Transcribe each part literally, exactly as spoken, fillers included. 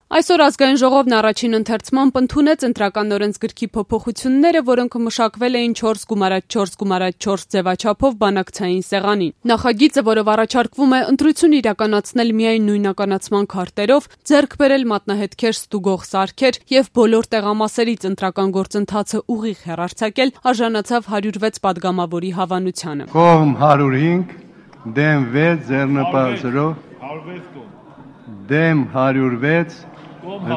Այսօր ազգային ժողովն առաջին ընթերցմամբ ընդունեց ընտրական օրենսգրքի փոփոխությունները, որոնք մշակվել էին չորս գումարած չորս գումարած չորս ձևաչափով բանակցային սեղանին։ Նախագիծը, որով առաջարկվում է ընտրություն իրականացնել միայն նույնականացման քարտերով, ձեռք բերել մատնահետքեր ստուգող սարքեր եւ բոլոր տեղամասերից ընտրական գործընթացը ուղիղ հեռարձակել, արժանացավ հարյուր վեց պատգամավորի հավանությանը։ Կողմ հարյուր հինգ, դեմ վեց, ձեռնպահ դեմ հարյուր վեց,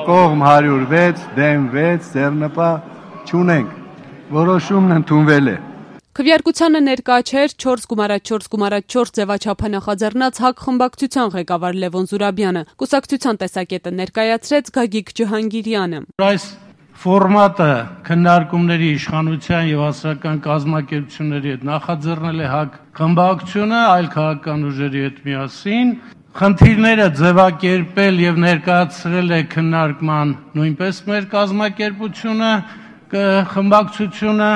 կողմ հարյուր վեց, դեմ վեց, ձեռնպահ չունենք, որոշումն ընդունվել է։ Քվեարկությանը ներկա չէր չորս գումարած չորս գումարած չորս ձևաչափը նախաձեռնած ՀԱԿ խմբակցության ղեկավար Լևոն Զուրաբյանը, կուսակցության տեսակետը ներկայացրեց Գագիկ Ջհանգիրյանը։ Այս ֆորմատը քննարկումների իշխանության եւ հասարակական կազմակերպությունների հետ նախաձեռնել է ՀԱԿ խմբակցությունը, այլ քաղաքական ուժերի հետ միասին։ Խնդիրները ձևակերպել եւ ներկայացրել է քննարկման նույնպես մեր կազմակերպությունը, խմբակցությունը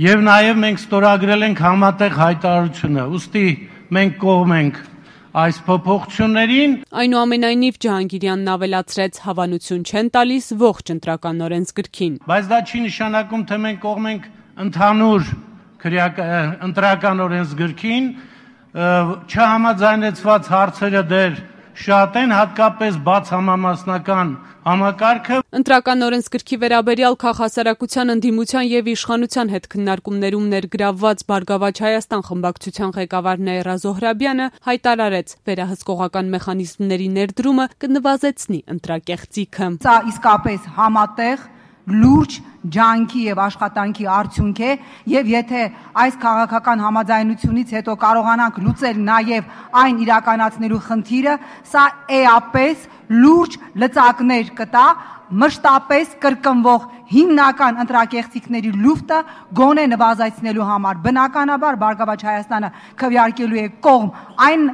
եւ նաեւ մենք ստորագրել ենք համատեղ հայտարարությունը։ Ուստի մենք կողմ ենք այս փոփոխություններին։ Այնուամենայնիվ Ջհանգիրյանն ավելացրեց, հավանություն չեն տալիս ողջ ընտրական օրենսգրքին։ Բայց դա չի նշանակում, թե մենք կողմ ենք ընդհանուր ընտրական օրենսգրքին։ Չհամաձայնեցված հարցերը դեռ շատ են, հատկապես բաց համամասնական համակարգը։ Ընտրական օրենսգրքի վերաբերյալ քաղաքասարակության ընդդիմության եւ իշխանության հետ քննարկումներում ներգրավված Բարգավաճ Հայաստան խմբակցության ղեկավար Նաիրա Զոհրաբյանը հայտարարեց, վերահսկողական մեխանիզմների ներդրումը կնվազեցնի ընտրակեղծիքը։ Սա իսկապես համատեղ լուրջ ջանքի եւ աշխատանքի արդյունք է եւ եթե այս քաղաքական համաձայնությունից հետո կարողանանք լուծել նաեւ այն իրականացնելու խնդիրը, սա էապես լուրջ լծակներ կտա մշտապես կրկնվող հիմնական ընտրակեղծիքների լուծը գոնե նվազեցնելու համար։ Բնականաբար Բարգավաճ Հայաստանը քվեարկելու է կողմ այն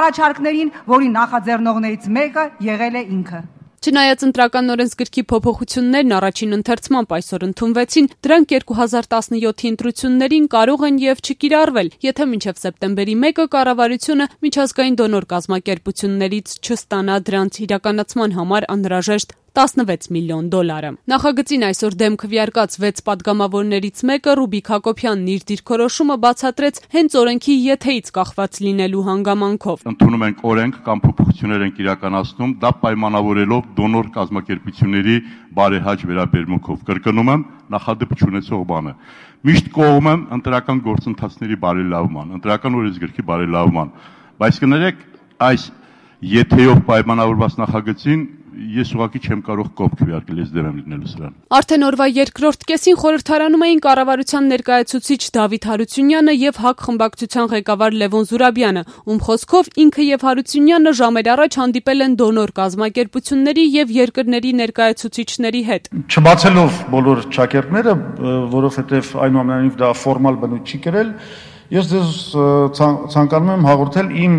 առաջարկներին, որի նախաձեռնողներից մեկը եղել է ինքը։ Չնայած ընտրական օրենսգրքի փոփոխություններն առաջին ընթերցմամբ այսօր ընդունվեցին, դրանք երկու հազար տասնյոթի ընտրություններին կարող են եւ չկիրառվել, եթե մինչեւ սեպտեմբերի մեկը կառավարությունը միջազգային դոնոր կազմակերպություններից չստանա դրանց իրականացման համար անհրաժեշտ տասնվեց միլիոն դոլարը։ Նախագծին այսօր դեմ քվեարկած վեց պատգամավորներից մեկը Ռուբիկ Հակոբյանն իր դիրքորոշումը բացատրեց հենց օրենքի եթեից կախված լինելու հանգամանքով։ Ընդունում ենք օրենք կամ փոփոխություններ ենք իրականացնում, դա պայմանավորելով դոնոր կազմակերպությունների բարեհաճ վերաբերմունքով։ Կրկնում եմ, նախադեպ չունեցող բանը։ Միշտ կողմ եմ ընտրական գործընթացների բարելավման, ընտրական օրենսգրքի բարելավման, բայց կներեք այս եթեով պայմանավորված նախագծին ես ուղղակի չեմ կարող կողմ քվեարկել, ես դեմ եմ լինելու սրան։ Արդեն օրվա երկրորդ կեսին խորհրդարանում էին կառավարության ներկայացուցիչ Դավիթ Հարությունյանը եւ ՀԱԿ խմբակցության ղեկավար Լևոն Զուրաբյանը, ում խոսքով ինքը եւ Հարությունյանը ժամեր առաջ հանդիպել են դոնոր կազմակերպությունների եւ երկրների ներկայացուցիչների հետ։ Չբացելով բոլոր ճակերտները, որովհետեւ այնուամենայնիվ դա ֆորմալ բնույթ չի կրել, ես ձեզ ցանկանում եմ հաղորդել իմ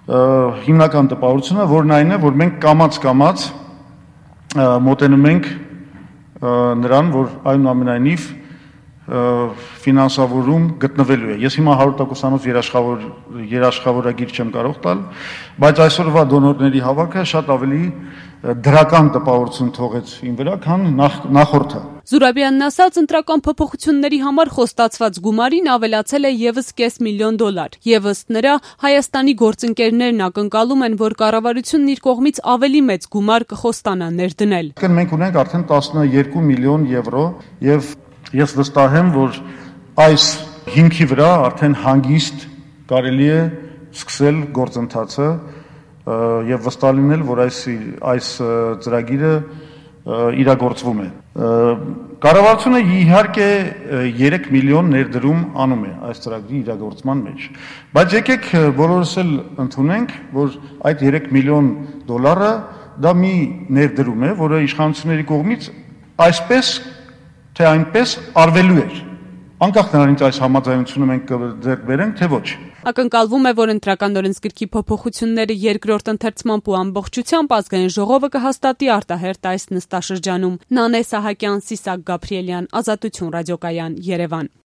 հիմնական տպավորությունը, որն այն է, որ մենք կամաց-կամաց մոտենում ենք նրան, որ այնուամենայնիվ ֆինանսավորում գտնվելու է։ Ես հիմա հարյուր տոկոսանոց երաշխավոր երաշխավորագիր չեմ կարող տալ, բայց այսօրվա դոնորների հավաքը շատ ավելի դրական տպավորություն թողեց իմ վրա, քան նախորդը։ Զուրաբյանն ասաց, ընտրական փոփոխությունների համար խոստացված գումարին ավելացել է եւս կես միլիոն դոլար, եւ ըստ նրա Հայաստանի գործընկերներն ակնկալում են, որ կառավարությունն իր կողմից ավելի մեծ գումար կխոստանա ներդնել։ Մենք ունենք արդեն տասներկու միլիոն եվրո եւ ես վստահ եմ, որ այս հիմքի վրա արդեն հանգիստ կարելի է սկսել գործընթացը եւ վստահ լինել, որ այս այս ծրագիրը իրագործվում է։ Կառավարությունը իհարկե երեք միլիոն ներդրում անում է այս ծրագրի իրագործման մեջ, բայց եկեք բոլորս էլ ընդունենք, որ այդ երեք միլիոն դոլարը դա մի ներդրում է, որը իշխանությունների կողմից այսպես թե այնպես արվելու էր։ Անկախ նրանից այս համաձայնությունը մենք ձեռք բերենք, թե ոչ։ Ակնկալվում է, որ ընտրական օրենսգրքի փոփոխությունները երկրորդ ընթերցմամբ ու ամբողջությամբ ազգային ժողովը կհաստատի արտահերթ այս նստաշրջանում։ Նանե Սահակյան, Սիսակ Գաբրիելյան, Ազատություն ռադիոկայան, Երևան։